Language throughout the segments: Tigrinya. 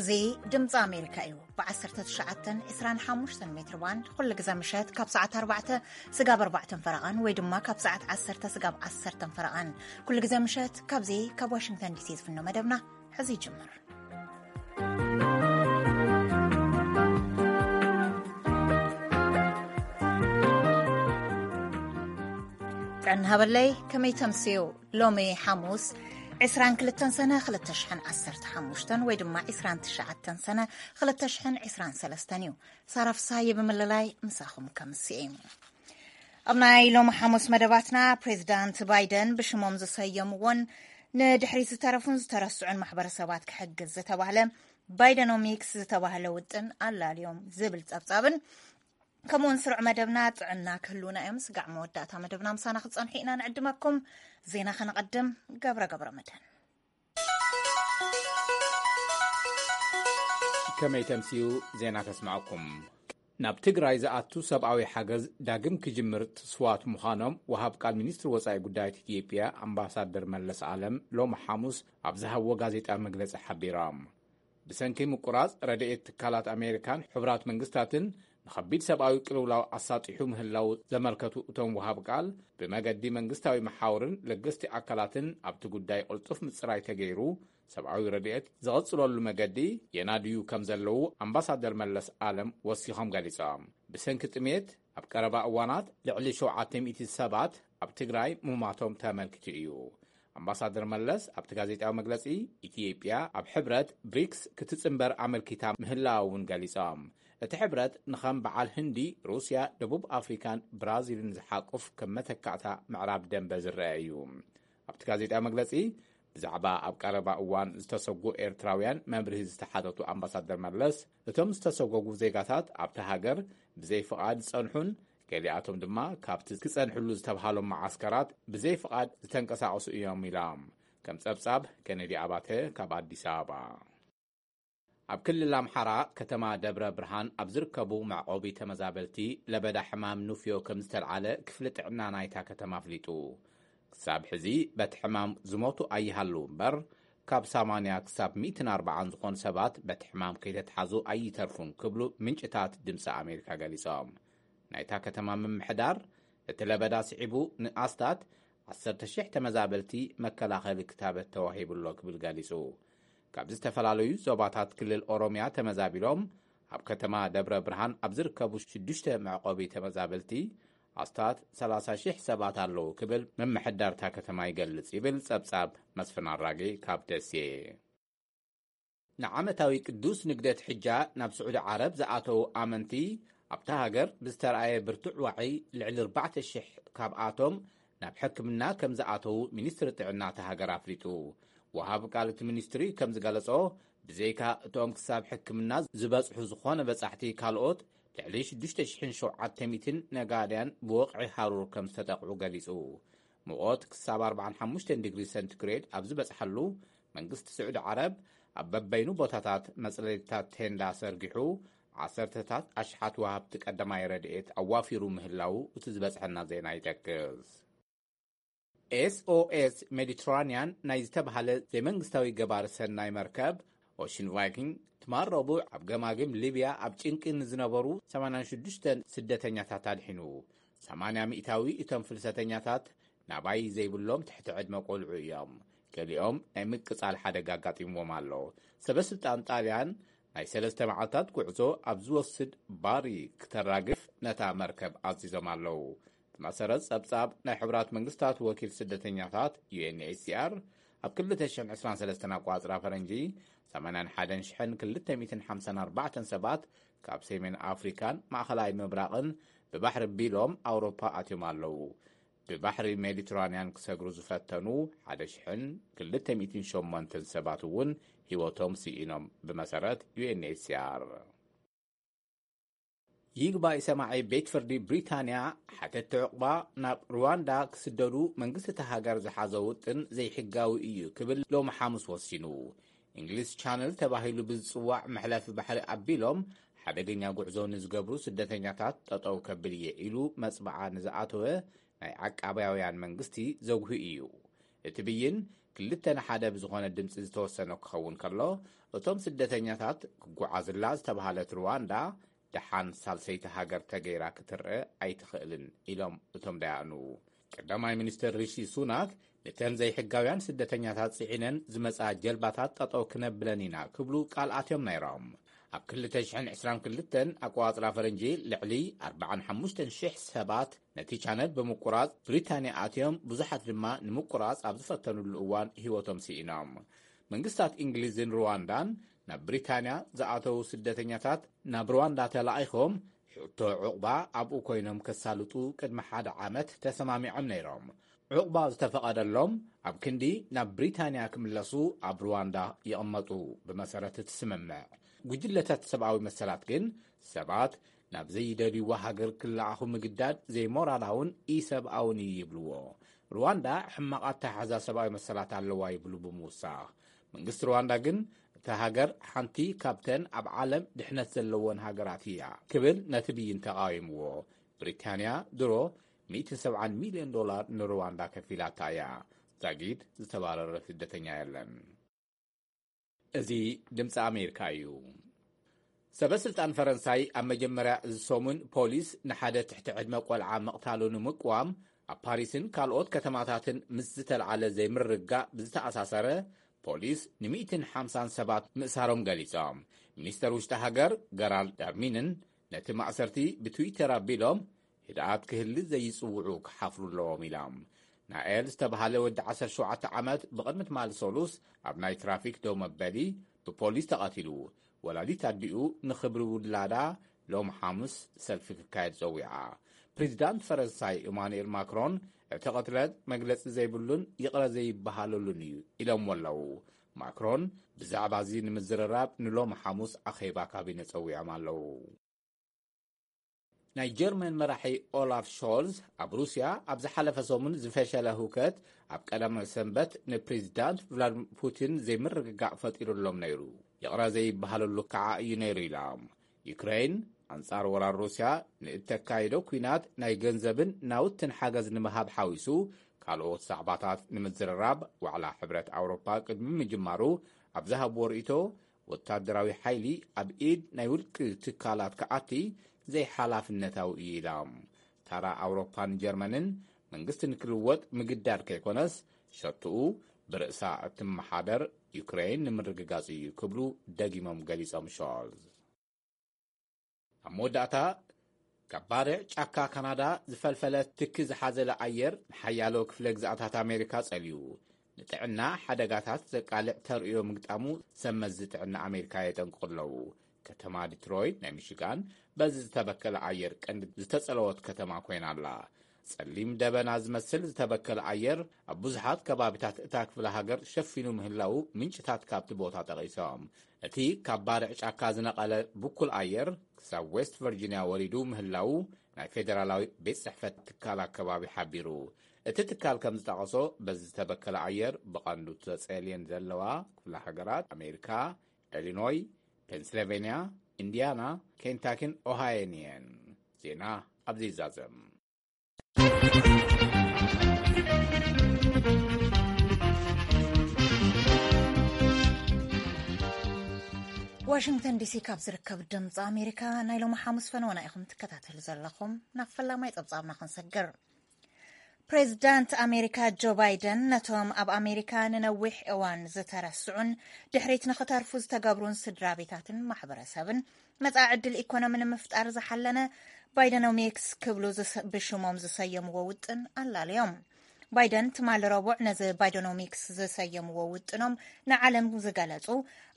እዚ ድምፂ ኣሜሪካ እዩ። ብ19 25 ሜትር ባንድ ኩሉ ግዜ ምሸት ካብ ሰዓት ኣርባዕተ ስጋብ ኣርባዕተን ፈረቓን ወይ ድማ ካብ ሰዓት ዓሰርተ ስጋብ ዓሰርተን ፈረቓን ኩሉ ግዜ ምሸት ካብዚ ካብ ዋሽንግተን ዲሲ ዝፍኖ መደብና ሕዚ ይጅምር። ጥዕና ሃበለይ፣ ከመይ ተምስዩ? ሎሚ ሓሙስ 22 ሰነ 2015 ወይ ድማ 29 ሰነ 2023 እዩ። ሳራ ፍሳየ ብምልላይ ምሳኹም ከምስኤ። ኣብ ናይ ሎሚ ሓሙስ መደባትና፣ ፕሬዚዳንት ባይደን ብሽሞም ዝሰየምዎን ንድሕሪት ዝተረፉን ዝተረስዑን ማሕበረሰባት ክሕግዝ ዝተባህለ ባይደኖሚክስ ዝተባህለ ውጥን ኣላልዮም ዝብል ጸብጻብን፣ ከምኡውን ስሩዕ መደብና ጥዕና ክህልውና እዮም። ስጋዕ መወዳእታ መደብና ምሳና ክትጸንሑ ኢና ንዕድመኩም። ዜና ከነቐድም። ገብረ ገብረ መድህን። ከመይ ተምስዩ? ዜና ከስምዐኩም። ናብ ትግራይ ዝኣቱ ሰብኣዊ ሓገዝ ዳግም ክጅምር ትስዋት ምዃኖም ወሃብ ቃል ሚኒስትሪ ወጻኢ ጉዳያት ኢትዮጵያ ኣምባሳደር መለስ ኣለም ሎሚ ሓሙስ ኣብ ዝሃብዎ ጋዜጣ መግለጺ ሓቢሮም። ብሰንኪ ምቁራጽ ረድኤት ትካላት ኣሜሪካን ሕቡራት መንግስታትን ንኸቢድ ሰብኣዊ ቅልውላው ኣሳጢሑ ምህላው ዘመልከቱ እቶም ወሃብ ቃል፣ ብመገዲ መንግስታዊ መሓውርን ለገስቲ ኣካላትን ኣብቲ ጉዳይ ቅልጡፍ ምጽራይ ተገይሩ፣ ሰብኣዊ ረድኤት ዝቐጽለሉ መገዲ የናድዩ ከም ዘለዉ ኣምባሳደር መለስ ኣለም ወሲኾም ገሊጾም። ብሰንኪ ጥሜት ኣብ ቀረባ እዋናት ልዕሊ ሸውዓተ ሚእቲ ሰባት ኣብ ትግራይ ምማቶም ተመልኪቱ እዩ። ኣምባሳደር መለስ ኣብቲ ጋዜጣዊ መግለጺ፣ ኢትዮጵያ ኣብ ሕብረት ብሪክስ ክትጽንበር ኣመልኪታ ምህላዋ እውን ገሊጾም። እቲ ሕብረት ንኸም በዓል ህንዲ፣ ሩስያ፣ ደቡብ ኣፍሪካን ብራዚልን ዝሓቁፍ ከም መተካእታ ምዕራብ ደንበ ዝረአ እዩ። ኣብቲ ጋዜጣዊ መግለጺ፣ ብዛዕባ ኣብ ቀረባ እዋን ዝተሰጉ ኤርትራውያን መብርሂ ዝተሓተቱ ኣምባሳደር መለስ፣ እቶም ዝተሰጎጉ ዜጋታት ኣብቲ ሃገር ብዘይ ፍቓድ ዝጸንሑን ገሊኣቶም ድማ ካብቲ ክጸንሕሉ ዝተብሃሎም መዓስከራት ብዘይ ፍቓድ ዝተንቀሳቐሱ እዮም ኢሎም። ከም ጸብጻብ ኬነዲ ኣባተ ካብ ኣዲስ ኣበባ። ኣብ ክልል ኣምሓራ ከተማ ደብረ ብርሃን ኣብ ዝርከቡ መዕቆቢ ተመዛበልቲ ለበዳ ሕማም ኑፍዮ ከም ዝተልዓለ ክፍሊ ጥዕና ናይታ ከተማ ኣፍሊጡ። ክሳብ ሕዚ በቲ ሕማም ዝሞቱ ኣይሃለዉ እምበር፣ ካብ ሰማንያ ክሳብ ሚእትን ኣርባዓን ዝኾኑ ሰባት በቲ ሕማም ከይተትሓዙ ኣይተርፉን ክብሉ ምንጭታት ድምፂ ኣሜሪካ ገሊጾም። ናይታ ከተማ ምምሕዳር፣ እቲ ለበዳ ስዒቡ ንኣስታት ዓሰርተ ሺሕ ተመዛበልቲ መከላኸሊ ክታበት ተዋሂቡ ኣሎ ክብል ገሊጹ። ካብ ዝተፈላለዩ ዞባታት ክልል ኦሮምያ ተመዛቢሎም ኣብ ከተማ ደብረ ብርሃን ኣብ ዝርከቡ ሽዱሽተ መዕቆቢ ተመዛበልቲ ኣስታት ሰላሳ ሺሕ ሰባት ኣለዉ ክብል ምምሕዳር እታ ከተማ ይገልጽ ይብል ጸብጻብ መስፍን ኣራጌ ካብ ደሴ። ንዓመታዊ ቅዱስ ንግደት ሕጃ ናብ ስዑዲ ዓረብ ዝኣተዉ ኣመንቲ ኣብታ ሃገር ብዝተረኣየ ብርቱዕ ዋዒ ልዕሊ ኣርባዕተ ሺሕ ካብኣቶም ናብ ሕክምና ከም ዝኣተዉ ሚኒስትሪ ጥዕና እታ ሃገር ኣፍሊጡ። ወሃቢ ቃል እቲ ሚኒስትሪ ከም ዝገለጾ፣ ብዘይካ እቶም ክሳብ ሕክምና ዝበጽሑ ዝኾነ በጻሕቲ፣ ካልኦት ልዕሊ ሽዱሽተ ሽሕን ሸውዓተ ሚእትን ነጋድያን ብወቕዒ ሃሩር ከም ዝተጠቕዑ ገሊጹ። ሙቐት ክሳብ ኣርባዓን ሓሙሽተን ዲግሪ ሰንቲግሬድ ኣብ ዝበጽሓሉ፣ መንግስቲ ስዑዲ ዓረብ ኣብ በበይኑ ቦታታት መጽለሊታት ቴንዳ ሰርጊሑ፣ ዓሰርተታት ኣሽሓት ወሃብቲ ቀዳማይ ረድኤት ኣዋፊሩ ምህላዉ እቲ ዝበጽሐና ዜና ይጠቅስ። ኤስ ኦ ኤስ ሜዲትራንያን ናይ ዝተባህለ ዘይመንግስታዊ ገባሪ ሰናይ መርከብ ኦሽን ቫይኪንግ፣ ትማል ረቡዕ ኣብ ገማግም ሊብያ ኣብ ጭንቂ ንዝነበሩ ሰማንያን ሽዱሽተን ስደተኛታት ኣድሒኑ። ሰማንያ ሚእታዊ እቶም ፍልሰተኛታት ናባይ ዘይብሎም ትሕቲ ዕድመ ቆልዑ እዮም። ገሊኦም ናይ ምቅጻል ሓደጋ ኣጋጢምዎም ኣሎ። ሰበ ስልጣን ጣልያን ናይ ሰለስተ መዓልታት ጉዕዞ ኣብ ዝወስድ ባሪ ክተራግፍ ነታ መርከብ ኣዚዞም ኣለዉ። ብመሰረት ጸብጻብ ናይ ሕቡራት መንግስታት ወኪል ስደተኛታት፣ ዩ ኤን ኤች ሲ ኣር፣ ኣብ ክልተ ሽሕን ዕስራን ሰለስተን ኣቋጽራ ፈረንጂ፣ ሰማንያን ሓደን ሽሕን ክልተ ሚእትን ሓምሳን ኣርባዕተን ሰባት ካብ ሰሜን ኣፍሪካን ማእኸላይ ምብራቕን ብባሕሪ ቢሎም ኣውሮፓ ኣትዮም ኣለዉ። ብባሕሪ ሜዲትራንያን ክሰግሩ ዝፈተኑ ሓደ ሽሕን ክልተ ሚእትን ሸሞንተን ሰባት እውን ህይወቶም ስኢኖም፣ ብመሰረት ዩ ኤን ኤች ሲ ኣር። ይግባይ ሰማዒ ቤት ፍርዲ ብሪታንያ፣ ሓተትቲ ዕቑባ ናብ ሩዋንዳ ክስደዱ መንግስቲ እታ ሃገር ዝሓዞ ውጥን ዘይሕጋዊ እዩ ክብል ሎሚ ሓሙስ ወሲኑ። እንግሊዝ ቻነል ተባሂሉ ብዝጽዋዕ መሕለፊ ባሕሪ ኣቢሎም ሓደገኛ ጉዕዞ ንዝገብሩ ስደተኛታት ጠጠው ከብል እየ ኢሉ መጽብዓ ንዝኣተወ ናይ ዓቃባውያን መንግስቲ ዘጉሂ እዩ። እቲ ብይን ክልተ ንሓደ ብዝኾነ ድምፂ ዝተወሰነ ክኸውን ከሎ፣ እቶም ስደተኛታት ክጓዓዝላ ዝተባህለት ሩዋንዳ ደሓን ሳልሰይቲ ሃገር ተገይራ ክትረአ ኣይትኽእልን ኢሎም እቶም ደያኑ። ቀዳማይ ሚኒስትር ሪሺ ሱናክ፣ ነተን ዘይሕጋውያን ስደተኛታት ጽዒነን ዝመጻ ጀልባታት ጠጠው ክነብለን ኢና ክብሉ ቃል ኣትዮም ነይሮም። ኣብ ክልተ ሽሕን ዕስራን ክልተን ኣቆጻጽራ ፈረንጂ፣ ልዕሊ ኣርባዓን ሓሙሽተን ሽሕ ሰባት ነቲ ቻነል ብምቁራጽ ብሪታንያ ኣትዮም፣ ብዙሓት ድማ ንምቁራጽ ኣብ ዝፈተኑሉ እዋን ህይወቶም ስኢኖም። መንግስታት እንግሊዝን ሩዋንዳን ናብ ብሪታንያ ዝኣተዉ ስደተኛታት ናብ ሩዋንዳ ተላኢኾም፣ ሕቶ ዑቕባ ኣብኡ ኮይኖም ከሳልጡ ቅድሚ ሓደ ዓመት ተሰማሚዖም ነይሮም። ዑቕባ ዝተፈቐደሎም ኣብ ክንዲ ናብ ብሪታንያ ክምለሱ ኣብ ሩዋንዳ ይቕመጡ፣ ብመሰረት እቲ ስምምዕ። ጉጅለታት ሰብኣዊ መሰላት ግን ሰባት ናብ ዘይደልይዋ ሃገር ክለኣኹ ምግዳድ ዘይሞራላውን ኢሰብኣውን እዩ ይብልዎ። ሩዋንዳ ሕማቕ ኣተሓሕዛ ሰብኣዊ መሰላት ኣለዋ ይብሉ ብምውሳኽ። መንግስቲ ሩዋንዳ ግን እታ ሃገር ሓንቲ ካብተን ኣብ ዓለም ድሕነት ዘለወን ሃገራት እያ ክብል ነቲ ብይን ተቓዊምዎ። ብሪታንያ ድሮ ሚእትን ሰብዓን ሚልዮን ዶላር ንሩዋንዳ ከፊላታ እያ። ዛጊድ ዝተባረረ ስደተኛ የለን። እዚ ድምፂ ኣሜሪካ እዩ። ሰበ ስልጣን ፈረንሳይ ኣብ መጀመርያ እዚ ሰሙን ፖሊስ ንሓደ ትሕቲ ዕድመ ቆልዓ ምቕታሉ ንምቅዋም ኣብ ፓሪስን ካልኦት ከተማታትን ምስ ዝተልዓለ ዘይምርግጋእ ብዝተኣሳሰረ፣ ፖሊስ ንሚእትን ሓምሳን ሰባት ምእሳሮም ገሊጾም። ሚኒስተር ውሽጢ ሃገር ገራልድ ዳርሚንን ነቲ ማእሰርቲ ብትዊተር ኣቢሎም፣ ህድኣት ክህሊ ዘይጽውዑ ክሓፍሩ ኣለዎም ኢሎም። ናኤል ዝተባህለ ወዲ ዓሰርተ ሸውዓተ ዓመት ብቕድሚ ትማሊ ሰሉስ ኣብ ናይ ትራፊክ ደው መበሊ ብፖሊስ ተቐቲሉ። ወላዲት ኣዲኡ ንኽብሪ ውላዳ ሎም ሓሙስ ሰልፊ ክካየድ ጸዊዓ። ፕሬዚዳንት ፈረንሳይ ኢማኑኤል ማክሮን፣ እቲ ቅትለት መግለጺ ዘይብሉን ይቕረ ዘይበሃለሉን እዩ ኢሎምዎ ኣለዉ። ማክሮን ብዛዕባ እዚ ንምዝርራብ ንሎም ሓሙስ ኣኼባ ካቢነ ጸዊዖም ኣለዉ። ናይ ጀርመን መራሒ ኦላፍ ሾልዝ ኣብ ሩስያ ኣብ ዝሓለፈ ሰሙን ዝፈሸለ ህውከት ኣብ ቀዳማይ ሰንበት ንፕሬዚዳንት ቭላድሚር ፑቲን ዘይምርግጋእ ፈጢሩሎም ነይሩ። ይቕረ ዘይበሃለሉ ከዓ እዩ ነይሩ ኢሎም። ዩክሬን ኣንጻር ወራር ሩስያ ንእተካይዶ ኲናት ናይ ገንዘብን ናውትን ሓገዝ ንምሃብ ሓዊሱ ካልኦት ዛዕባታት ንምዝርራብ ዋዕላ ሕብረት ኣውሮፓ ቅድሚ ምጅማሩ ኣብ ዝሃብዎ ርእይቶ፣ ወታደራዊ ሓይሊ ኣብ ኢድ ናይ ውልቂ ትካላት ክኣቲ ዘይሓላፍነታዊ እዩ ኢሎም። ታራ ኣውሮፓን ጀርመንን መንግስቲ ንክልወጥ ምግዳድ ከይኮነስ፣ ሸትኡ ብርእሳ እትመሓደር ዩክሬን ንምርግጋጽ እዩ ክብሉ ደጊሞም ገሊጾም ሾልዝ። ኣብ መወዳእታ፣ ካብ ባርዕ ጫካ ካናዳ ዝፈልፈለ ትኪ ዝሓዘለ ኣየር ንሓያሎ ክፍለ ግዝኣታት ኣሜሪካ ጸልዩ፣ ንጥዕና ሓደጋታት ዘቃልዕ ተርእዮ ምግጣሙ ሰብ መዚ ጥዕና ኣሜሪካ የጠንቅቑ ኣለዉ። ከተማ ዲትሮይት ናይ ሚሽጋን በዚ ዝተበከለ ኣየር ቀንዲ ዝተጸለወት ከተማ ኮይና ኣላ። ጸሊም ደበና ዝመስል ዝተበከለ ኣየር ኣብ ብዙሓት ከባቢታት እታ ክፍለ ሃገር ሸፊኑ ምህላዉ ምንጭታት ካብቲ ቦታ ጠቒሶም። እቲ ካብ ባርዕ ጫካ ዝነቐለ ብኩል ኣየር ክሳብ ዌስት ቨርጂንያ ወሪዱ ምህላዉ ናይ ፌደራላዊ ቤት ጽሕፈት ትካል ኣከባቢ ሓቢሩ። እቲ ትካል ከም ዝጠቐሶ፣ በዚ ዝተበከለ ኣየር ብቐንዱ ተጸልየን ዘለዋ ክፍለ ሃገራት ኣሜሪካ፣ ኢሊኖይ፣ ፔንስልቬንያ፣ ኢንዲያና፣ ኬንታኪን ኦሃዮን እየን። ዜና ኣብዚ ይዛዘም። ዋሽንግተን ዲሲ ካብ ዝርከብ ድምፂ ኣሜሪካ ናይ ሎሚ ሓሙስ ፈነወና ኢኹም ትከታተሉ ዘለኹም። ናብ ፈላማይ ፀብፃብና ክንሰግር። ፕሬዚዳንት ኣሜሪካ ጆ ባይደን ነቶም ኣብ ኣሜሪካ ንነዊሕ እዋን ዝተረስዑን ድሕሪት ንኽተርፉ ዝተገብሩን ስድራ ቤታትን ማሕበረሰብን መጻኢ ዕድል ኢኮኖሚ ንምፍጣር ዝሓለነ ባይደኖሚክስ ክብሉ ዝስ- ብሽሞም ዝሰየምዎ ውጥን ኣላለዮም። ባይደን ትማሊ ረቡዕ ነዚ ባይደኖሚክስ ዝሰየምዎ ውጥኖም ንዓለም ዝገለጹ፣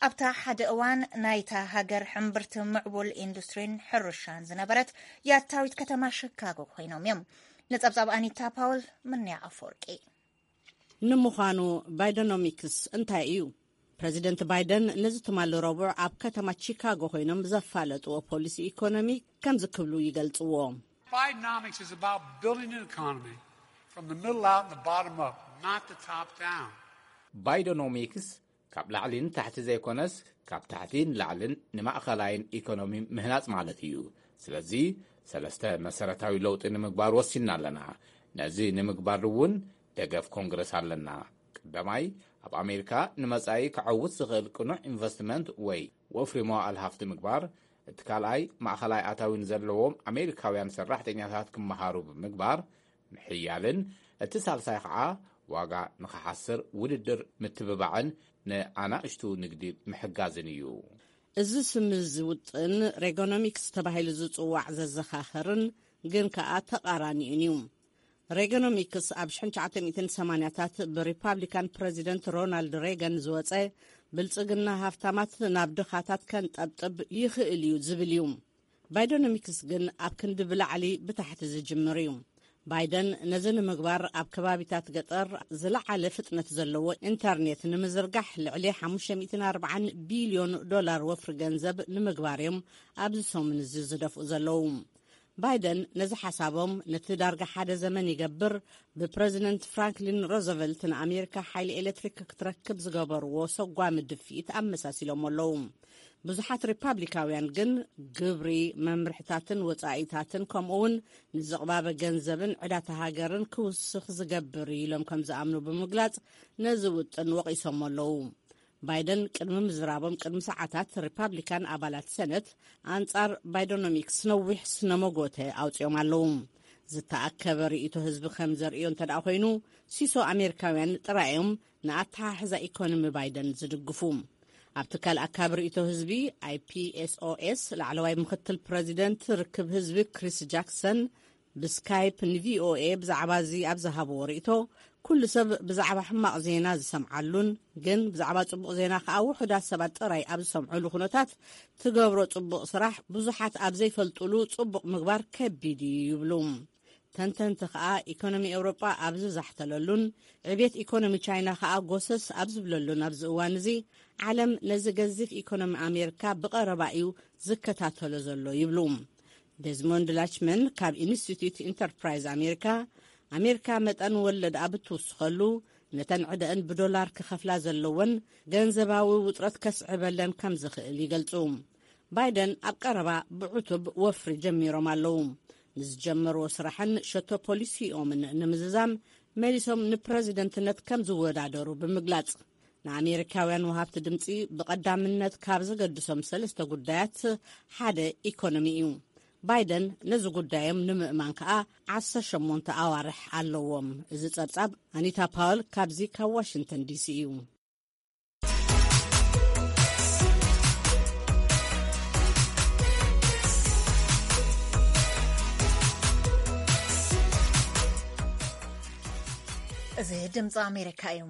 ኣብታ ሓደ እዋን ናይታ ሃገር ሕምብርቲ ምዕቡል ኢንዱስትሪን ሕርሻን ዝነበረት ያታዊት ከተማ ሽካጎ ኮይኖም እዮም። ንጸብጻብ ኣኒታ ፓውል፣ ምንያ ኣፈወርቂ። ንምዃኑ ባይደኖሚክስ እንታይ እዩ? ፕረዚደንት ባይደን ነዚ ትማሊ ረቡዕ ኣብ ከተማ ቺካጎ ኮይኖም ዘፋለጥዎ ፖሊሲ ኢኮኖሚ ከምዚ ክብሉ ይገልጽዎ። Bidenomics is about building an economy from the middle out and the bottom up, not the top down. ባይደኖሚክስ ካብ ላዕሊ ንታሕቲ ዘይኮነስ፣ ካብ ታሕቲ ንላዕልን ንማእኸላይን ኢኮኖሚ ምህናጽ ማለት እዩ። ስለዚ ሰለስተ መሰረታዊ ለውጢ ንምግባር ወሲንና ኣለና። ነዚ ንምግባር እውን ደገፍ ኮንግረስ ኣለና። ቀዳማይ፣ ኣብ ኣሜሪካ ንመጻኢ ክዓውት ዝኽእል ቅኑዕ ኢንቨስትመንት ወይ ወፍሪ መዋእል ሃፍቲ ምግባር፣ እቲ ካልኣይ ማእኸላይ ኣታዊ ንዘለዎም ኣሜሪካውያን ሰራሕተኛታት ክመሃሩ ብምግባር ምሕያልን፣ እቲ ሳልሳይ ከዓ ዋጋ ንኽሓስር ውድድር ምትብባዕን ንኣናእሽቱ ንግዲ ምሕጋዝን እዩ። እዚ ስም ዝውጥን ሬጎኖሚክስ ተባሂሉ ዝጽዋዕ ዘዘኻኸርን ግን ከኣ ተቓራኒኡን እዩ። ሬጎኖሚክስ ኣብ ሽሕን ትሽዓተ ሚእትን ሰማንያታት ብሪፓብሊካን ፕረዚደንት ሮናልድ ሬገን ዝወጸ፣ ብልጽግና ሃፍታማት ናብ ድኻታት ከንጠብጥብ ይኽእል እዩ ዝብል እዩ። ባይደኖሚክስ ግን ኣብ ክንዲ ብላዕሊ ብታሕቲ ዝጅምር እዩ። ባይደን ነዚ ንምግባር ኣብ ከባቢታት ገጠር ዝለዓለ ፍጥነት ዘለዎ ኢንተርኔት ንምዝርጋሕ ልዕሊ ሓሙሽተ ሚእትን ኣርባዓን ቢልዮን ዶላር ወፍሪ ገንዘብ ንምግባር እዮም ኣብዚ ሰሙን እዚ ዝደፍኡ ዘለዉ። ባይደን ነዚ ሓሳቦም ነቲ ዳርጋ ሓደ ዘመን ይገብር ብፕረዚደንት ፍራንክሊን ሮዘቨልት ንኣሜሪካ ሓይሊ ኤሌክትሪክ ክትረክብ ዝገበርዎ ሰጓሚ ድፍኢት ኣመሳሲሎም ኣለዉ። ብዙሓት ሪፓብሊካውያን ግን ግብሪ፣ መምርሕታትን ወጻኢታትን ከምኡ እውን ንዝቕባበ ገንዘብን ዕዳታ ሃገርን ክውስኽ ዝገብር እዩ ኢሎም ከም ዝኣምኑ ብምግላጽ ነዚ ውጥን ወቒሶም ኣለዉ። ባይደን ቅድሚ ምዝራቦም ቅድሚ ሰዓታት ሪፓብሊካን ኣባላት ሰነት ኣንጻር ባይደኖሚክስ ነዊሕ ስነመጎተ ኣውጺኦም ኣለዉ። ዝተኣከበ ርእይቶ ህዝቢ ከም ዘርእዮ እንተ ደኣ ኮይኑ፣ ሲሶ ኣሜሪካውያን ጥራይ እዮም ንኣተሓሕዛ ኢኮኖሚ ባይደን ዝድግፉ። ኣብ ትካል ኣካቢ ርእይቶ ህዝቢ ኣይፒኤስኦኤስ ላዕለዋይ ምክትል ፕረዚደንት ርክብ ህዝቢ ክሪስ ጃክሰን ብስካይፕ ንቪኦኤ ብዛዕባ እዚ ኣብ ዝሃብዎ ርእይቶ፣ ኩሉ ሰብ ብዛዕባ ሕማቕ ዜና ዝሰምዓሉን ግን ብዛዕባ ጽቡቕ ዜና ከኣ ውሑዳት ሰባት ጥራይ ኣብ ዝሰምዑሉ ኩነታት ትገብሮ ጽቡቕ ስራሕ ብዙሓት ኣብ ዘይፈልጡሉ ጽቡቕ ምግባር ከቢድ እዩ ይብሉ። ተንተንቲ ከኣ ኢኮኖሚ ኤውሮጳ ኣብ ዝዛሕተለሉን ዕቤት ኢኮኖሚ ቻይና ከኣ ጎሰስ ኣብ ዝብለሉን ኣብዚ እዋን እዚ ዓለም ነዚ ገዚፍ ኢኮኖሚ ኣሜሪካ ብቐረባ እዩ ዝከታተሎ ዘሎ ይብሉ። ዴዝሞንድ ላችመን ካብ ኢንስቲትዩት ኢንተርፕራይዝ ኣሜሪካ፣ ኣሜሪካ መጠን ወለድ ኣብ እትውስኸሉ ነተን ዕደአን ብዶላር ክኸፍላ ዘለወን ገንዘባዊ ውጥረት ከስዕበለን ከም ዝኽእል ይገልጹ። ባይደን ኣብ ቀረባ ብዕቱብ ወፍሪ ጀሚሮም ኣለዉ። ንዝጀመርዎ ስራሕን ሸቶ ፖሊሲኦምን ንምዝዛም መሊሶም ንፕረዚደንትነት ከም ዝወዳደሩ ብምግላጽ፣ ንኣሜሪካውያን ወሃብቲ ድምጺ ብቐዳምነት ካብ ዘገድሶም ሰለስተ ጉዳያት ሓደ ኢኮኖሚ እዩ። ባይደን ነዚ ጉዳዮም ንምእማን ከኣ ዓሰርተ ሸሞንተ ኣዋርሕ ኣለዎም። እዚ ጸብጻብ ኣኒታ ፓወል ካብዚ ካብ ዋሽንግተን ዲሲ እዩ። እዚ ድምፂ ኣሜሪካ እዩ።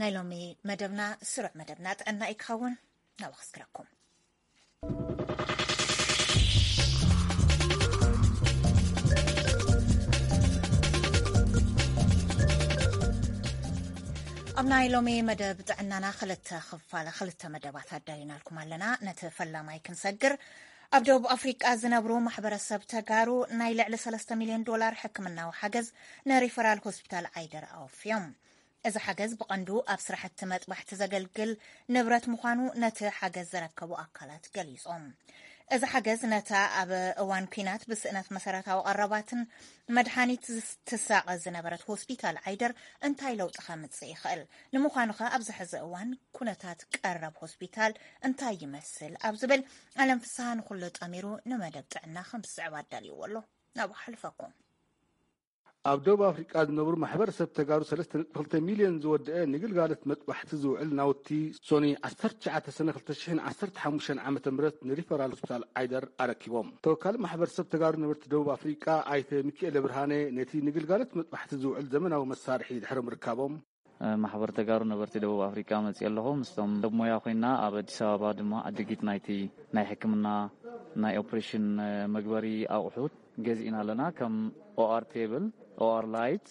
ናይ ሎሚ መደብና ስሩዕ መደብና ጥዕና እዩ ክኸውን። ናብ ኣኽስክረኩም። ኣብ ናይ ሎሚ መደብ ጥዕናና ክልተ ክፋል፣ ክልተ መደባት ኣዳሊናልኩም ኣለና። ነቲ ፈላማይ ክንሰግር፣ ኣብ ደቡብ ኣፍሪቃ ዝነብሩ ማሕበረሰብ ተጋሩ ናይ ልዕሊ ሰለስተ ሚልዮን ዶላር ሕክምናዊ ሓገዝ ንሪፈራል ሆስፒታል ዓይደር ኣወፍዮም። እዚ ሓገዝ ብቐንዱ ኣብ ስራሕቲ መጥባሕቲ ዘገልግል ንብረት ምዃኑ ነቲ ሓገዝ ዘረከቡ ኣካላት ገሊጾም። እዚ ሓገዝ ነታ ኣብ እዋን ኲናት ብስእነት መሰረታዊ ቀረባትን መድሓኒት ዝስ-፣ ትሳቐ ዝነበረት ሆስፒታል ዓይደር እንታይ ለውጢ ከምጽእ ይኽእል? ንምዃኑኸ ኣብዚ ሕዚ እዋን ኩነታት ቀረብ ሆስፒታል እንታይ ይመስል? ኣብ ዝብል ኣለም ፍስሃ ንኹሉ ጠሚሩ ንመደብ ጥዕና ከም ዝስዕብ ኣዳልይዎ ኣሎ። ናብኡ ሓልፈኩም። ኣብ ደቡብ ኣፍሪቃ ዝነብሩ ማሕበረሰብ ተጋሩ ሰለስተ ነጥቢ ክልተ ሚልዮን ዝወደአ ንግልጋሎት መጥባሕቲ ዝውዕል ናውቲ ሶኒ ዓሰርተ ትሽዓተ ሰነ ክልተ ሽሕን ዓሰርተ ሓሙሽተን ዓመተ ምህረት ንሪፈራል ሆስፒታል ዓይደር ኣረኪቦም። ተወካሊ ማሕበረሰብ ተጋሩ ነበርቲ ደቡብ ኣፍሪቃ ኣይተ ሚኪኤለ ብርሃነ ነቲ ንግልጋሎት መጥባሕቲ ዝውዕል ዘመናዊ መሳርሒ ድሕሪ ምርካቦም፣ ማሕበር ተጋሩ ነበርቲ ደቡብ ኣፍሪቃ መፅየ ኣለኹ። ምስቶም ሰብ ሞያ ኮይና ኣብ ኣዲስ ኣበባ ድማ ዕድጊት ናይቲ ናይ ሕክምና ናይ ኦፕሬሽን መግበሪ ኣቑሑት ገዚእና ኣለና። ከም ኦኣር ቴብል፣ ኦኣር ላይት፣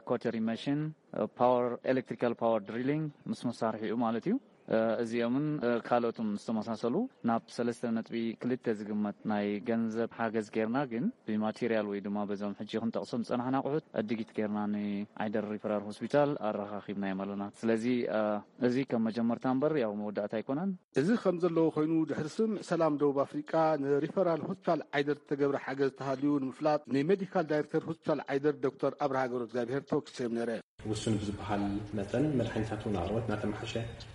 ኮተሪ መሽን፣ ፓወር፣ ኤሌክትሪካል ፓወር ድሪሊንግ ምስ መሳርሒኡ ማለት እዩ። እዚኦምን ካልኦትን ዝተመሳሰሉ ናብ ሰለስተ ነጥቢ ክልተ ዝግመት ናይ ገንዘብ ሓገዝ ጌርና፣ ግን ብማቴሪያል ወይ ድማ በዞም ሕጂ ክንጠቕሶም ዝጸናሕና ኣቑሑት ዕድጊት ጌርና ንዓይደር ሪፈራል ሆስፒታል ኣረኻኺብናዮም ኣለና። ስለዚ እዚ ከም መጀመርታ እምበር ያው መወዳእታ ኣይኮነን። እዚ ከም ዘለዎ ኮይኑ፣ ድሕሪ ስምምዕ ሰላም ደቡብ ኣፍሪቃ ንሪፈራል ሆስፒታል ዓይደር ዝተገብረ ሓገዝ ተሃልዩ ንምፍላጥ ንሜዲካል ዳይሬክተር ሆስፒታል ዓይደር ዶክተር ኣብርሃ ገብረእግዚኣብሄር ተወኪሰዮም ነይረ። ውሱን ብዝበሃል መጠን መድሓኒታት እውን ኣቕርቦት እናተመሓሸ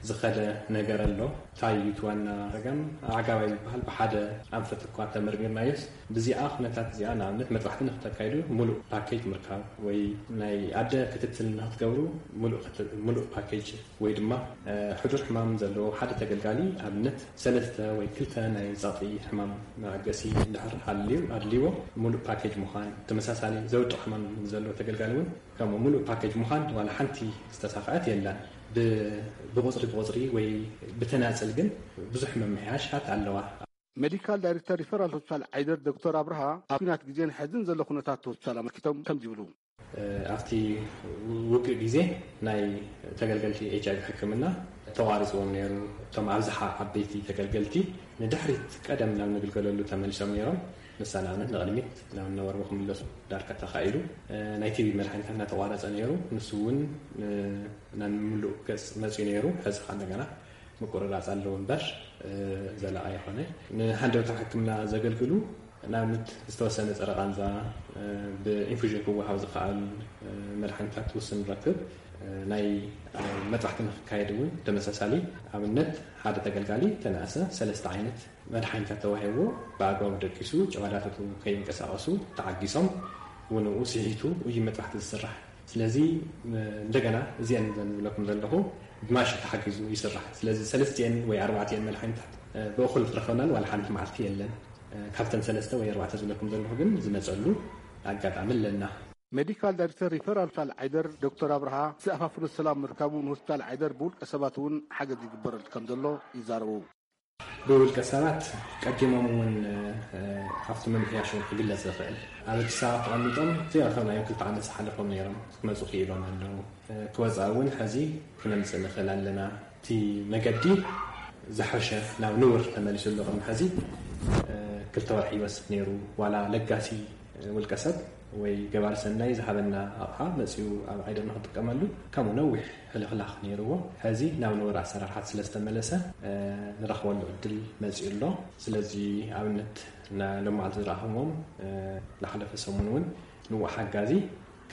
ዝኸደ ነገር ኣሎ። እንታይ እዩ እቲ ዋና ጸገም? ኣዕጋባይ ዝበሃል ብሓደ ኣንፈት እኳ ተመርሚርናዮስ፣ ብዚኣ ኩነታት እዚኣ ንኣብነት መጥባሕቲ ንክተካይዱ ሙሉእ ፓኬጅ ምርካብ ወይ ናይ ኣደ ክትትል ንክትገብሩ ሙሉእ ክት-፣ ሙሉእ ፓኬጅ ወይ ድማ ሕዱር ሕማም ዘለዎ ሓደ ተገልጋሊ ኣብነት ሰለስተ ወይ ክልተ ናይ ጸቕጢ ሕማም መዐገሲ እንድሕር ሃልዩ ኣድልይዎ ሙሉእ ፓኬጅ ምዃን፣ ተመሳሳሊ ዘውድቕ ሕማም ዘለዎ ተገልጋሊ እውን ከምኡ ሙሉእ ፓኬጅ ምዃን ዋላ ሓንቲ ዝተሳኽዐት የላን። ብ-፣ ብቑጽሪ ብቑጽሪ ወይ ብተናጽል ግን ብዙሕ ምምሕያሻት ኣለዋ። ሜዲካል ዳይሬክተር ሪፈራል ሆስፒታል ዓይደር ዶክተር ኣብርሃ ኣብ ኲናት ግዜን ሕዝን ዘሎ ኩነታት ሆስፒታል ኣመልኪቶም ከምዚ ይብሉ። ኣብቲ ውግእ ግዜ ናይ ተገልገልቲ ኤች ኣይቪ ሕክምና ተቋሪፅዎም ነይሩ። እቶም ኣብዝሓ ዓበይቲ ተገልገልቲ ንድሕሪት ቀደም ናብ ንግልገለሉ ተመሊሶም ነይሮም። ንሳ ንኣብነት ንቕድሚት ናብ ነበርዎ ክምለሱ ዳርጋ ተኻኢሉ። ናይ ቲቢ መድሓኒታት እናተቋረፀ ነይሩ። ንሱ እውን ናብ ምሉእ ገፅ መፅዩ ነይሩ። ሕዚ ከዓ እንደገና ምቁርራፅ ኣለዎ እምበር ዘላቒ ኣይኮነ። ንሃንደበታዊ ሕክምና ዘገልግሉ ንኣብነት ዝተወሰነ ፀረ ቃንዛ ብኢንፉዥን ክወሃብ ዝኸኣል መድሓኒታት ውስን ንረክብ። ናይ መጥባሕቲ ንክካየድ እውን ተመሳሳሊ ኣብነት ሓደ ተገልጋሊ ተነኣሰ ሰለስተ ዓይነት መድሓኒታት ተዋሂብዎ ብኣግባቡ ደቂሱ ጨጓዳታቱ ከይንቀሳቐሱ ተዓጊሶም እውን ንኡ ስሒቱ እዩ መጥባሕቲ ዝስራሕ። ስለዚ እንደገና እዚአን ዘን ዝብለኩም ዘለኹ ብማሽን ተሓጊዙ ይስራሕ። ስለዚ ሰለስቲአን ወይ ኣርባዕቲአን መድሓኒታት ብእኹል ዝረኸብናሉ ዋላ ሓንቲ መዓልቲ የለን። ካብተን ሰለስተ ወይ ኣርባዕተ ዝብለኩም ዘለኹ ግን ዝመፀሉ ኣጋጣሚ ኣለና። ሜዲካል ዳይሬክተር ሪፈራል ሆስፒታል ዓይደር ዶክተር ኣብርሃ ዝተኣፋፍኖ ሰላም ምርካቡ ንሆስፒታል ዓይደር ብውልቀ ሰባት እውን ሓገዝ ይግበረሉ ከም ዘሎ ይዛረቡ። ብውልቀ ሰባት ቀዲሞም እውን ኣብቲ ምምሕያሽ እውን ክግለፅ ዝኽእል ኣብ ኣዲስ ኣበባ ተቐሚጦም ዘይረኸብናዮም ክልተ ዓመት ዝሓለፎም ነይሮም ክመፁ ክኢሎም ኣለዉ። ክወፃ እውን ሕዚ ክነምፅእ ንኽእል ኣለና። እቲ መገዲ ዝሓሸ ናብ ንቡር ተመሊሱ ኣሎ። ቅድሚ ሕዚ ክልተ ወርሒ ይወስድ ነይሩ። ዋላ ለጋሲ ውልቀ ሰብ ወይ ገባሪ ሰናይ ዝሃበና ኣቕሓ መፂኡ ኣብ ዓይደር ንክጥቀመሉ ከምኡ ነዊሕ ሕልኽላኽ ነይርዎ። ሕዚ ናብ ንቡር ኣሰራርሓት ስለዝተመለሰ ንረኽበሉ ዕድል መፂኡ ኣሎ። ስለዚ ኣብነት ሎማዓልቲ ዝረኣኹዎም ዝሓለፈ ሰሙን እውን ንኡ ሓጋዚ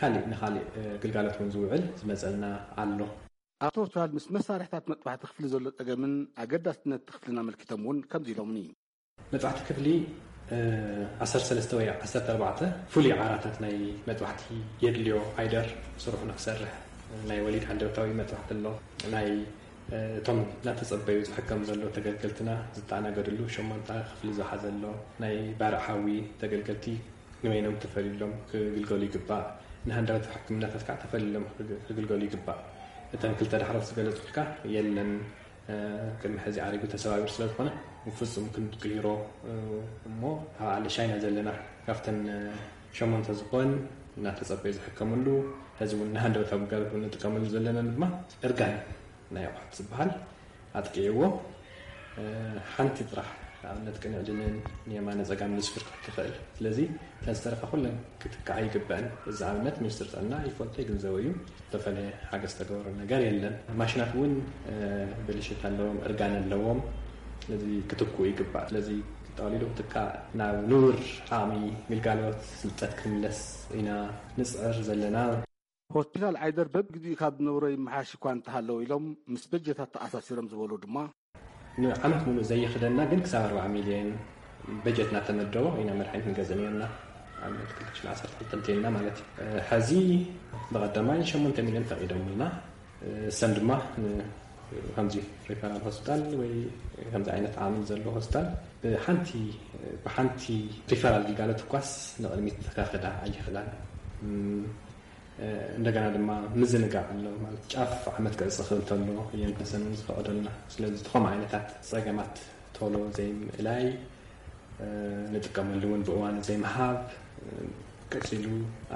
ካሊእ ንካሊእ ግልጋሎት እውን ዝውዕል ዝመፀልና ኣሎ። ኣቶ ቻል ምስ መሳርሕታት መጥባሕቲ ክፍሊ ዘሎ ጸገምን ኣገዳስነት ክፍልን ኣመልኪቶም እውን ከምዚ ኢሎምኒ። መጥባሕቲ ክፍሊ ዓሰርተ ሰለስተ ወይ ዓሰርተ ኣርባዕተ ፍሉይ ዓራታት ናይ መጥባሕቲ የድልዮ። ዓይደር ስርሑ ንክሰርሕ ናይ ወሊድ ሃንደበታዊ መጥባሕቲ ኣሎ። ናይ እቶም እናተጸበዩ ዝሕከም ዘሎ ተገልገልትና ዝተኣናገድሉ ሸሞንተ ክፍሊ ዝሓዘ ኣሎ። ናይ ባርዕ ሓዊ ተገልገልቲ ንበይኖም ተፈልዩሎም ክግልገሉ ይግባእ። ንሃንደበታዊ ሕክምናታት ከዓ ተፈልዩሎም ክግልገሉ ይግባእ። እተን ክልተ ዳሕሮት ዝገለፅኩልካ የለን። ቅድሚ ሕዚ ዓሪጉ ተሰባቢሩ ስለዝኾነ ብፍፁም ክንቅይሮ እሞ ኣብ ዓለ ሻይና ዘለና ካብተን ሸሞንተ ዝኾን እናተፀበዩ ዝሕከምሉ ሕዚ እውን ንሃንደበታዊ ግልጋሎት እውን ንጥቀመሉ ዘለና ድማ እርጋን ናይ ኣቑሑት ዝበሃል ኣጥቂዕዎ ሓንቲ ጥራሕ ንኣብነት ቅንዕድንን ንየማነ ጸጋም ንስፍር ክትኽእል። ስለዚ እተን ዝተረፋ ኩለን ክትከዓ ይግበአን። እዚ ኣብነት ሚኒስትር ጥዕና ይፈልጦ ይግንዘቦ እዩ። ዝተፈለየ ሓገዝ ተገበሮ ነገር የለን። ማሽናት እውን ብልሽት ኣለዎም፣ እርጋን ኣለዎም። ስለዚ ክትክኡ ይግባእ። ስለዚ ጠቕሊሉ ክትካእ ናብ ንቡር ዓቕሚ ግልጋሎት ስልጠት ክንምለስ ኢና ንጽዕር ዘለና። ሆስፒታል ዓይደር በብግዜኡ ካብ ዝነበሮ ይመሓሽ እኳ እንተሃለወ ኢሎም ምስ በጀታት ተኣሳሲሮም ዝበሉ ድማ ንዓመት ሙሉእ ዘይኽደና ግን ክሳብ ኣርባዓ ሚልዮን በጀት እናተመደቦ ኢና መድሓኒት ንገዝእ ነርና። ኣብነት ክልተ ሽሕን ዓሰርተ ክልተን እንተኢልና ማለት እዩ። ሕዚ ብቐዳማይ ሸሞንተ ሚልዮን ፈቒዶምልና። እሰን ድማ ከምዚ ሪፈራል ሆስፒታል ወይ ከምዚ ዓይነት ዓቕሚ ዘሎ ሆስፒታል ብሓንቲ ብሓንቲ ሪፈራል ግልጋሎት እኳስ ንቕድሚት ከኽዳ ኣይኽእላን። እንደገና ድማ ምዝንጋዕ ኣሎ ማለት ጫፍ ዓመት ክዕፀ ክእል ተሎ እየን ተሰንን ዝፈቐደልና። ስለዚ ዝኾም ዓይነታት ፀገማት ቶሎ ዘይምእላይ ንጥቀመሉ እውን ብእዋኑ ዘይምሃብ ቀፂሉ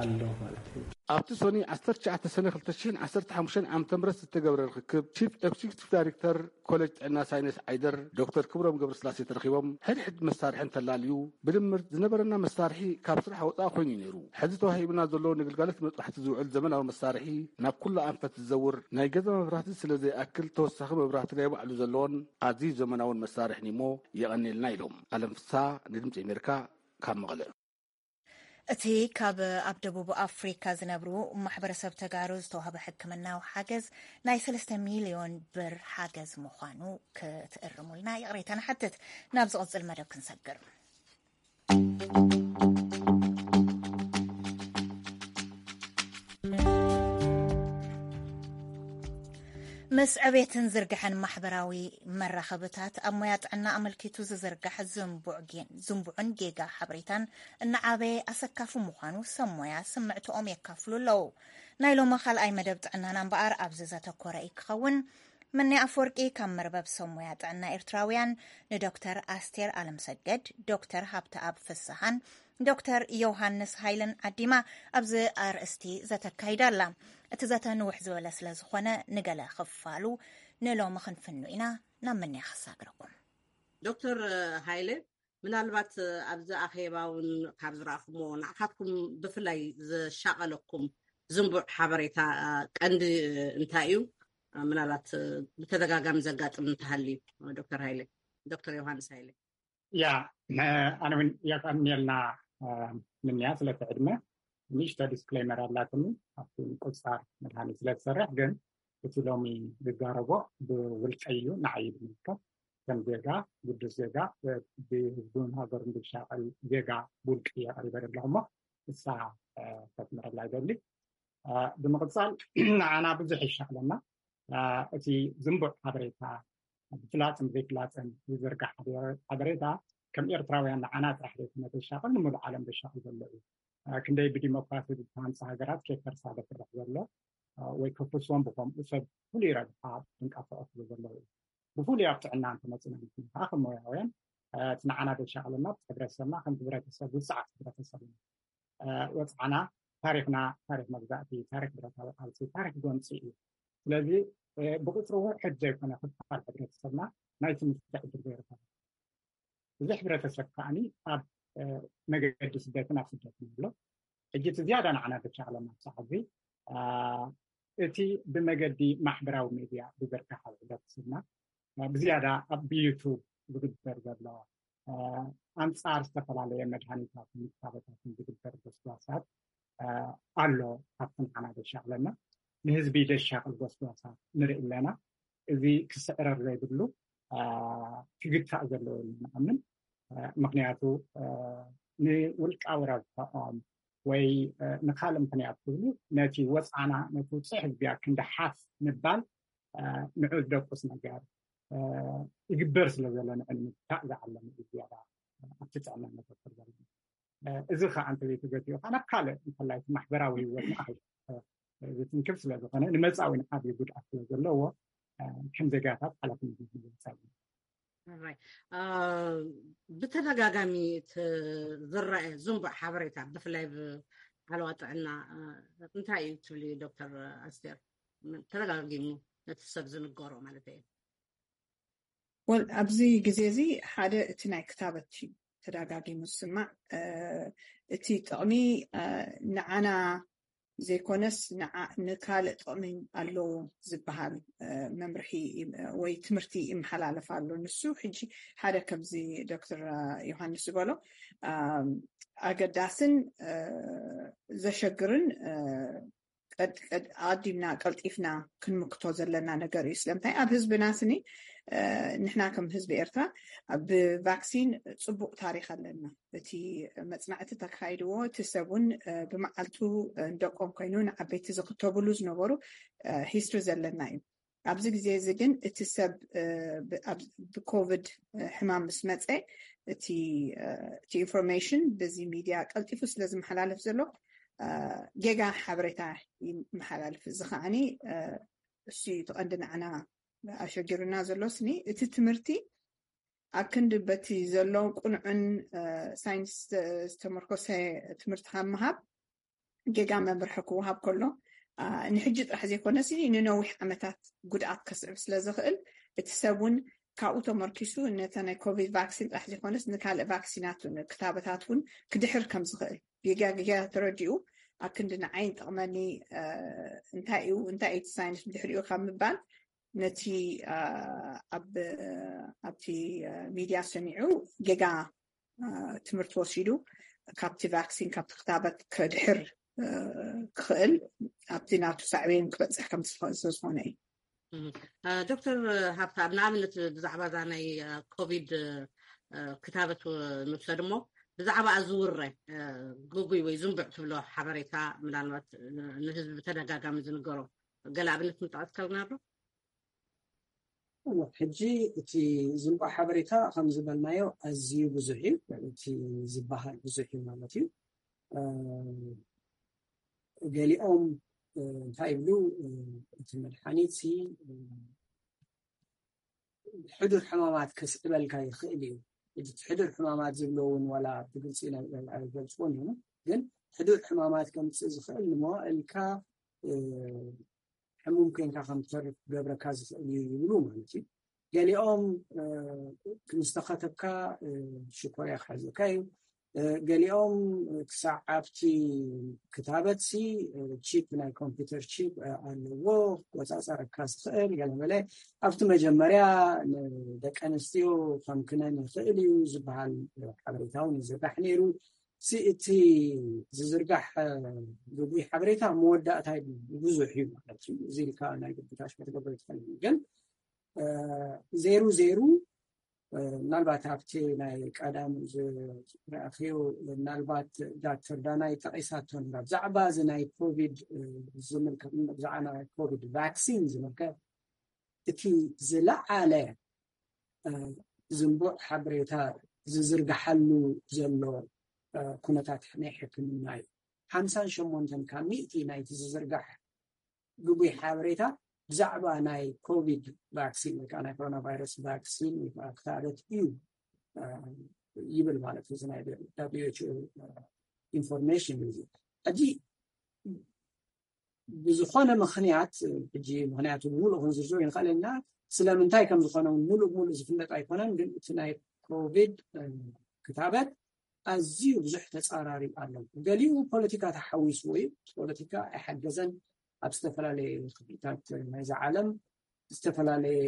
ኣሎ ማለት እዩ። ኣብቲ ሶኒ ዓሰርተ ትሽዓተ ሰነ ክልተ ሽሕን ዓሰርተ ሓሙሽተን ዓመተ ምህረት ዝተገብረ ርክክብ ቺፍ ኤክዚኪቲቭ ዳይሬክተር ኮሌጅ ጥዕና ሳይነስ ዓይደር ዶክተር ክብሮም ገብረስላሴ ተረኺቦም ሕድሕድ መሳርሒ እንተላልዩ ብድምር ዝነበረና መሳርሒ ካብ ስራሕ ወፃኢ ኮይኑ እዩ ነይሩ። ሕዚ ተዋሂቡና ዘሎ ንግልጋሎት መጥባሕቲ ዝውዕል ዘመናዊ መሳርሒ ናብ ኩሉ ኣንፈት ዝዘውር ናይ ገዛ መብራህቲ ስለ ዘይኣክል ተወሳኺ መብራህቲ ናይ ባዕሉ ዘለዎን ኣዝዩ ዘመናውን መሳርሒ እሞ የቐንየልና ኢሎም። ኣለም ፍስሃ ንድምፂ ኣሜሪካ ካብ መቐለ። እቲ ካብ ኣብ ደቡብ ኣፍሪካ ዝነብሩ ማሕበረሰብ ተጋሩ ዝተዋህበ ሕክምናዊ ሓገዝ ናይ ሰለስተ ሚልዮን ብር ሓገዝ ምዃኑ ክትእርሙልና ይቕሬታ ንሓትት። ናብ ዝቕጽል መደብ ክንሰግር። ምስ ዕቤትን ዝርግሐን ማሕበራዊ መራኸብታት ኣብ ሞያ ጥዕና ኣመልኪቱ ዝዝርጋሕ ዝንቡዕ ጌ- ዝንቡዕን ጌጋ ሓበሬታን እናዓበየ ኣሰካፉ ምዃኑ ሰብ ሞያ ስምዕትኦም የካፍሉ ኣለዉ። ናይ ሎሚ ካልኣይ መደብ ጥዕናና እምበኣር ኣብዚ ዘተኮረ እዩ ክኸውን። ምንያ ኣፈወርቂ ካብ መርበብ ሰብ ሞያ ጥዕና ኤርትራውያን ንዶክተር ኣስቴር ኣለምሰገድ፣ ዶክተር ሃብተኣብ ፍስሃን ዶክተር ዮሃንስ ሃይለን ዓዲማ ኣብዚ ኣርእስቲ ዘተካይዳ ኣላ። እቲ ዘተ ንውሕ ዝበለ ስለ ዝኾነ ንገለ ክፋሉ ንሎሚ ክንፍኑ ኢና። ናብ ምንያ ክሳግረኩም። ዶክተር ሃይለ፣ ምናልባት ኣብዚ ኣኼባ እውን ካብ ዝረኣኹምዎ ንዓኻትኩም ብፍላይ ዘሻቐለኩም ዝንቡዕ ሓበሬታ ቀንዲ እንታይ እዩ? ምናልባት ብተደጋጋሚ ዘጋጥም እንተሃልዩ። ዶክተር ሃይለ፣ ዶክተር ዮሃንስ ሃይለ። ያ ኣነ እውን የቀንየልና። ምንያ ስለቲ ዕድመ ንእሽቶ ዲስክሌመር ኣላትኒ ኣብቲ ምቁፅፃር መድሃኒት ስለዝሰርሕ። ግን እቲ ሎሚ ዝዛረቦ ብውልቀይ እዩ፣ ንዓይ እዩ ዝምልከት። ከም ዜጋ፣ ግዱስ ዜጋ፣ ብህዝቡን ሃገሩን ዝሻቐል ዜጋ ብውልቂ እየ ቀሪበ ዘለኹ እሞ እሳ ከስምረላ ይደሊ። ብምቕፃል ንዓና ብዙሕ ይሻቕለና። እቲ ዝንቡዕ ሓበሬታ ብፍላጥን ዘይፍላጥን ዝዝርጋሕ ሓበሬታ ከም ኤርትራውያን ንዓና ጥራሕ ዘይኮነ ዘሻቕል፣ ንሙሉእ ዓለም ዘሻቕል ዘሎ እዩ። ክንደይ ብዲሞክራሲ ዝተሃንፃ ሃገራት ከይፈርሳ ዘፍርሕ ዘሎ ወይ ክፍርሶም ብኸምኡ ሰብ ፍሉይ ረብሓ ዝንቀሳቐስሉ ዘለዉ እዩ። ብፍሉይ ኣብ ጥዕና እንተመፂና ንሕና ከዓ ከም ሞያውያን እቲ ንዓና ዘሻቕለና ኣብቲ ሕብረተሰብና ከምቲ ሕብረተሰብ ውፅዓት ሕብረተሰብ እዩ። ወፅዓና ታሪኽና፣ ታሪኽ መግዛእቲ፣ ታሪኽ ብረታዊ ቃልሲ፣ ታሪኽ ጎንፂ እዩ። ስለዚ ብቁፅሪ ውሕድ ዘይኮነ ክፋል ሕብረተሰብና ናይ ትምህርቲ ዕድል ዘይረኸበ እዚ ሕብረተሰብ ከዓኒ ኣብ መገዲ ስደትን ኣብ ስደትን ኣሎ። ሕጂ እቲ ዝያዳ ንዓና ዘሻቕለና ኣብ ሰዓት እዚ እቲ ብመገዲ ማሕበራዊ ሜድያ ዝዝርጋሕ ኣብ ሕብረተሰብና ብዝያዳ ኣብ ብዩቱብ ዝግበር ዘሎ ኣንጻር ዝተፈላለየ መድሃኒታትን ክታበታትን ዝግበር ጎስጓሳት ኣሎ። ካብቲ ንዓና ዘሻቕለና ንህዝቢ ዘሻቕል ጎስጓሳት ንርኢ ኣለና። እዚ ክስዕረር ዘይብሉ ክግታእ ዘለዎ ኢልና ንኣምን። ምክንያቱ ንውልቃዊ ረብሕኦም ወይ ንካልእ ምክንያት ክብሉ ነቲ ወፅዓና ነቲ ውፅዕ ህዝቢያ ክንዲ ሓፍ ምባል ንዑ ዝደቁስ ነገር ይግበር ስለ ዘሎ ንዕሊ ምግታእ ዝዓለመ እዩ ዝያዳ ኣብቲ ጥዕና ነተኩር ዘለና። እዚ ከዓ እንተዘይተገቲኡ ከዓ ናብ ካልእ እንተላይ እቲ ማሕበራዊ ህይወትና ዝትንክፍ ስለ ዝኾነ ንመፃኢ እውን ዓብዪ ጉድኣት ስለ ዘለዎ ከም ዜጋታት ሓላፍነት ንወፅእ ኣለና። ብተደጋጋሚ ዝረአ ዝንቡዕ ሓበሬታ ብፍላይ ብዓለዋ ጥዕና እንታይ እዩ ትብሊ ዶክተር ኣስቴር? ተደጋጊሙ ነቲ ሰብ ዝንገሮ ማለት እዩ። ወል ኣብዚ ግዜ እዚ ሓደ እቲ ናይ ክታበት እዩ ተደጋጊሙ ዝስማዕ። እቲ ጥቕሚ ንዓና ዘይኮነስ ንካልእ ጥቕሚ ኣለዎ ዝበሃል መምርሒ ወይ ትምህርቲ ይመሓላለፍ ኣሎ። ንሱ ሕጂ ሓደ ከምዚ ዶክተር ዮሃንስ ዝበሎ ኣገዳስን ዘሸግርን ኣዲምና ቀልጢፍና ክንምክቶ ዘለና ነገር እዩ። ስለምንታይ ኣብ ህዝብና ስኒ ንሕና ከም ህዝቢ ኤርትራ ብቫክሲን ፅቡቅ ታሪክ ኣለና። እቲ መፅናዕቲ ተካይድዎ እቲ ሰብ እውን ብመዓልቱ ንደቆም ኮይኑ ንዓበይቲ ዝክተብሉ ዝነበሩ ሂስትሪ ዘለና እዩ። ኣብዚ ግዜ እዚ ግን እቲ ሰብ ብኮቪድ ሕማም ምስ መፀ እቲ ኢንፎርሜሽን በዚ ሚድያ ቀልጢፉ ስለ ዝመሓላለፍ ዘሎ ጌጋ ሓበሬታ ይመሓላልፍ። እዚ ከዓኒ እሱ እዩ እቲ ቀንዲ ንዓና ኣሸጊሩና ዘሎ ስኒ። እቲ ትምህርቲ ኣብ ክንዲ በቲ ዘሎ ቁኑዕን ሳይንስ ዝተመርኮሰ ትምህርቲ ካብ ምሃብ ጌጋ መምርሒ ክወሃብ ከሎ ንሕጂ ጥራሕ ዘይኮነሲ ንነዊሕ ዓመታት ጉድኣት ከስዕብ ስለ ዝኽእል እቲ ሰብ እውን ካብኡ ተመርኪሱ ነተ ናይ ኮቪድ ቫክሲን ጥራሕ ዘይኮነስ ንካልእ ቫክሲናት ክታበታት እውን ክድሕር ከም ዝኽእል ጌጋ ጌጋ ተረዲኡ ኣብ ክንዲ ንዓይ ጠቕመኒ እንታይ እዩ እንታይ እቲ ሳይንስ ብድሕሪኡ ካብ ምባል ነቲ ኣብቲ ሚድያ ሰሚዑ ጌጋ ትምህርቲ ወሲዱ ካብቲ ቫክሲን፣ ካብቲ ክታበት ከድሕር ክኽእል ኣብቲ ናቱ ሳዕቤን ክበፅሕ ከም ዝኾነ እዩ። ዶክተር ሃብታ፣ ንኣብነት ብዛዕባ እዛ ናይ ኮቪድ ክታበት ንውሰድ እሞ፣ ብዛዕባ ዝውረ ግጉይ ወይ ዝንቡዕ ትብሎ ሓበሬታ ምናልባት ንህዝቢ ብተደጋጋሚ ዝንገሮ ገለ ኣብነት ምጥቃስ ከልና ዶ? ሕጂ እቲ ዝንቡዕ ሓበሬታ ከም ዝበልናዮ ኣዝዩ ብዙሕ እዩ። እቲ ዝበሃል ብዙሕ እዩ ማለት እዩ። ገሊኦም እንታይ ይብሉ፣ እቲ መድሓኒት ሕዱር ሕማማት ከስዕበልካ ይኽእል እዩ። ሕዱር ሕማማት ዝብሎ እውን ዋላ ብግልፂ ኣይገልፅዎን እዩ፣ ግን ሕዱር ሕማማት ከምፅእ ዝኽእል ንመዋእልካ ሕሙም ኮይንካ ከም ትተርፍ ክገብረካ ዝኽእል እዩ ይብሉ ማለት እዩ። ገሊኦም ምስ ተኸተብካ ሽኮርያ ክሕዘካ እዩ። ገሊኦም ክሳዕ ኣብቲ ክታበት ሲ ቺፕ፣ ናይ ኮምፒውተር ቺፕ ኣለዎ፣ ክቆፃፀረካ ዝኽእል ገለመለ። ኣብቲ መጀመርያ ንደቂ ኣንስትዮ ከም ክነን ይኽእል እዩ ዝበሃል ሓበሬታ እውን ይዝርጋሕ ነይሩ። እቲ ዝዝርጋሕ ግጉይ ሓበሬታ መወዳእታ ብዙሕ እዩ ማለት እዩ። እዚ ኢልካ ናይ ግብታሽ ክትገብሮ ትኽእል፣ ግን ዜሩ ዜሩ ምናልባት ኣብቲ ናይ ቀዳም ዝረኣኽዮ ምናልባት ዳክተር ዳናይ ጠቒሳቶ ነራ ብዛዕባ እዚ ናይ ኮቪድ ዝምልከት፣ ብዛዕባ ናይ ኮቪድ ቫክሲን ዝምልከት እቲ ዝለዓለ ዝንቡዕ ሓበሬታ ዝዝርግሓሉ ዘሎ ኩነታት ናይ ሕክምና እዩ። ሓምሳን ሸሞንተን ካብ ሚእቲ ናይቲ ዝዝርጋሕ ግጉይ ሓበሬታ ብዛዕባ ናይ ኮቪድ ቫክሲን ወይ ከዓ ናይ ኮሮና ቫይረስ ቫክሲን ወይ ከዓ ክታበት እዩ ይብል ማለት እዩ። እዚ ናይ WHO ኢንፎርሜሽን እዩ። ሕጂ ብዝኾነ ምኽንያት፣ ሕጂ ምኽንያቱ ብምሉእ ክንዝርዝሮ ይንኽእል ኢና፣ ስለምንታይ ከም ዝኾነ እውን ምሉእ ብምሉእ ዝፍለጥ ኣይኮነን። ግን እቲ ናይ ኮቪድ ክታበት ኣዝዩ ብዙሕ ተፃራሪ ኣሎ። ገሊኡ ፖለቲካ ተሓዊስዎ እዩ። ፖለቲካ ኣይሓገዘን። ኣብ ዝተፈላለየ ክፍልታት ናይዚ ዓለም ዝተፈላለየ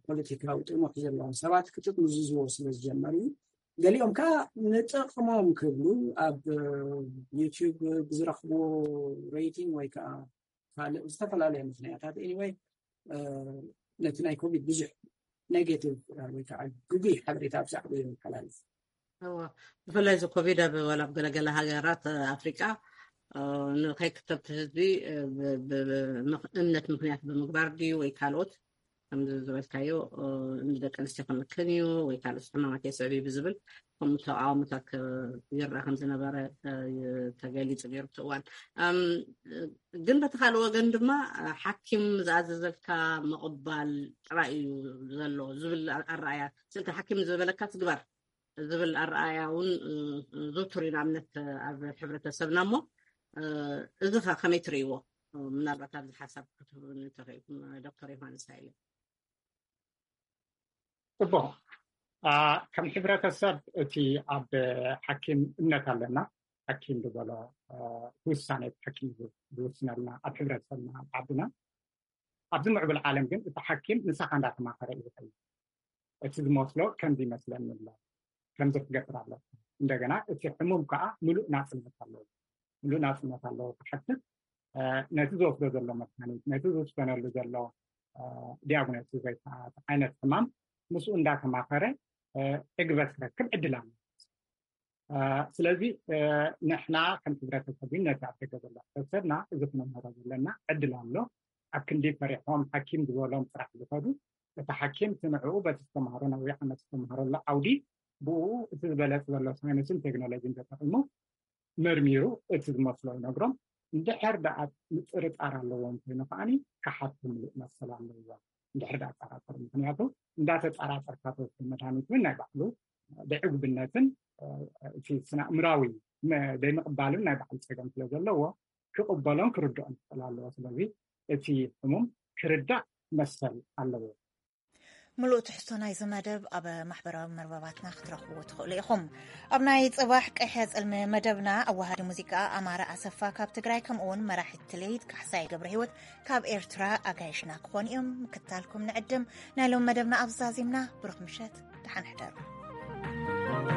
ፖለቲካዊ ጥሙሕ ዘለዎም ሰባት ክጥምዝዝዎ ስለ ዝጀመሩ እዩ። ገሊኦም ከዓ ንጥቕሞም ክብሉ ኣብ ዩቲዩብ ብዝረኽብዎ ሬቲንግ ወይ ከዓ ካልእ ዝተፈላለየ ምኽንያታት፣ ኤኒወይ፣ ነቲ ናይ ኮቪድ ብዙሕ ኔጌቲቭ ወይ ከዓ ግጉይ ሓበሬታ ብዛዕባ የመሓላልፍ። ብፍላይ እዚ ኮቪድ ኣብ ዋላ ኣብ ገለገለ ሃገራት ኣፍሪቃ ንከይክተብቲ ህዝቢ እምነት ምኽንያት ብምግባር ድዩ ወይ ካልኦት ከምዚ ዝበልካዮ ንደቂ ኣንስትዮ ክምክን እዩ ወይ ካልኦት ሕማማት የስዕብ እዩ ብዝብል ከምኡ ተቃውሞታት ይረኣ ከም ዝነበረ ተገሊፁ ነይሩ እቲ እዋን። ግን በቲ ካልእ ወገን ድማ ሓኪም ዝኣዘዘልካ ምቕባል ጥራይ እዩ ዘሎ ዝብል ኣረኣያ፣ ስልቲ ሓኪም ዝበለካ ትግበር ዝብል ኣረኣያ እውን ዝውቱር እዩ ንኣብነት ኣብ ሕብረተሰብና። እሞ እዚ ከ ከመይ ትርእይዎ? ምናልባት ኣብዚ ሓሳብ ክትህቡኒ ተኽእልኩም ዶክተር ዮሃንስ ሃይለ። ፅቡቅ። ከም ሕብረተሰብ እቲ ኣብ ሓኪም እምነት ኣለና። ሓኪም ዝበሎ ውሳኔ ሓኪም ዝውስነልና ኣብ ሕብረተሰብና ኣብ ዓድና። ኣብዚ ምዕቡል ዓለም ግን እቲ ሓኪም ንሳኻ እንዳተማኸረ እዩ ዝኸይድ። እቲ ዝመስሎ ከምዚ ይመስለኒ ኣሎ፣ ከምዚ ክገብር ኣለካ። እንደገና እቲ ሕሙም ከዓ ምሉእ ናፅነት ኣለዎ። ምሉእ ናፅነት ኣለዎ ክሓትት፣ ነቲ ዝወስዶ ዘሎ መድሃኒት፣ ነቲ ዝውሰነሉ ዘሎ ዲያግኖሲስ ወይ ከዓ ዓይነት ሕማም ምስኡ እንዳተማኸረ ዕግበት ክረክብ ዕድል ኣሎ። ስለዚ ንሕና ከም ሕብረተሰብ ነቲ ኣብ ደገ ዘሎ ሕብረተሰብና እዚ ክነምህሮ ዘለና ዕድል ኣሎ። ኣብ ክንዲ ፈሪሖም ሓኪም ዝበሎም ጥራሕ ዝኸዱ፣ እቲ ሓኪም እቲ ንዕኡ በቲ ዝተምሃሮ ነዊሕ ዓመት ዝተምሃረሉ ዓውዲ ብኡ እቲ ዝበለፅ ዘሎ ሳይንስን ቴክኖሎጂን ተጠቂሙ መርሚሩ እቲ ዝመስሎ ይነግሮም። እንድሕር ደኣ ምጥርጣር ኣለዎም ኮይኑ ከዓኒ ክሓቱ ምሉእ መሰል ኣለዎ። እንድሕር ደኣ ጠራጠሩ፣ ምክንያቱ እንዳተጠራጠርካ ተወስዶ መድሃኒት እውን ናይ ባዕሉ ብዕጉብነትን እቲ ስነ ኣእምራዊ ዘይምቕባልን ናይ ባዕሉ ፀገም ስለ ዘለዎ ክቕበሎን ክርድኦን ክኽእል ኣለዎ። ስለዚ እቲ ሕሙም ክርዳእ መሰል ኣለዎ። ምሉእ ትሕዝቶ ናይዚ መደብ ኣብ ማሕበራዊ መርበባትና ክትረኽብዎ ትኽእሉ ኢኹም። ኣብ ናይ ጽባሕ ቀይሕ ጽልሚ መደብና ኣዋሃዲ ሙዚቃ ኣማረ ኣሰፋ ካብ ትግራይ፣ ከምኡ እውን መራሒት ትልሂት ካሕሳይ ገብረ ህይወት ካብ ኤርትራ ኣጋይሽና ክኾኑ እዮም። ምክትታልኩም ንዕድም። ናይ ሎም መደብና ኣብዚ ዛዚምና። ብሩኽ ምሸት፣ ደሓን ሕደሩ።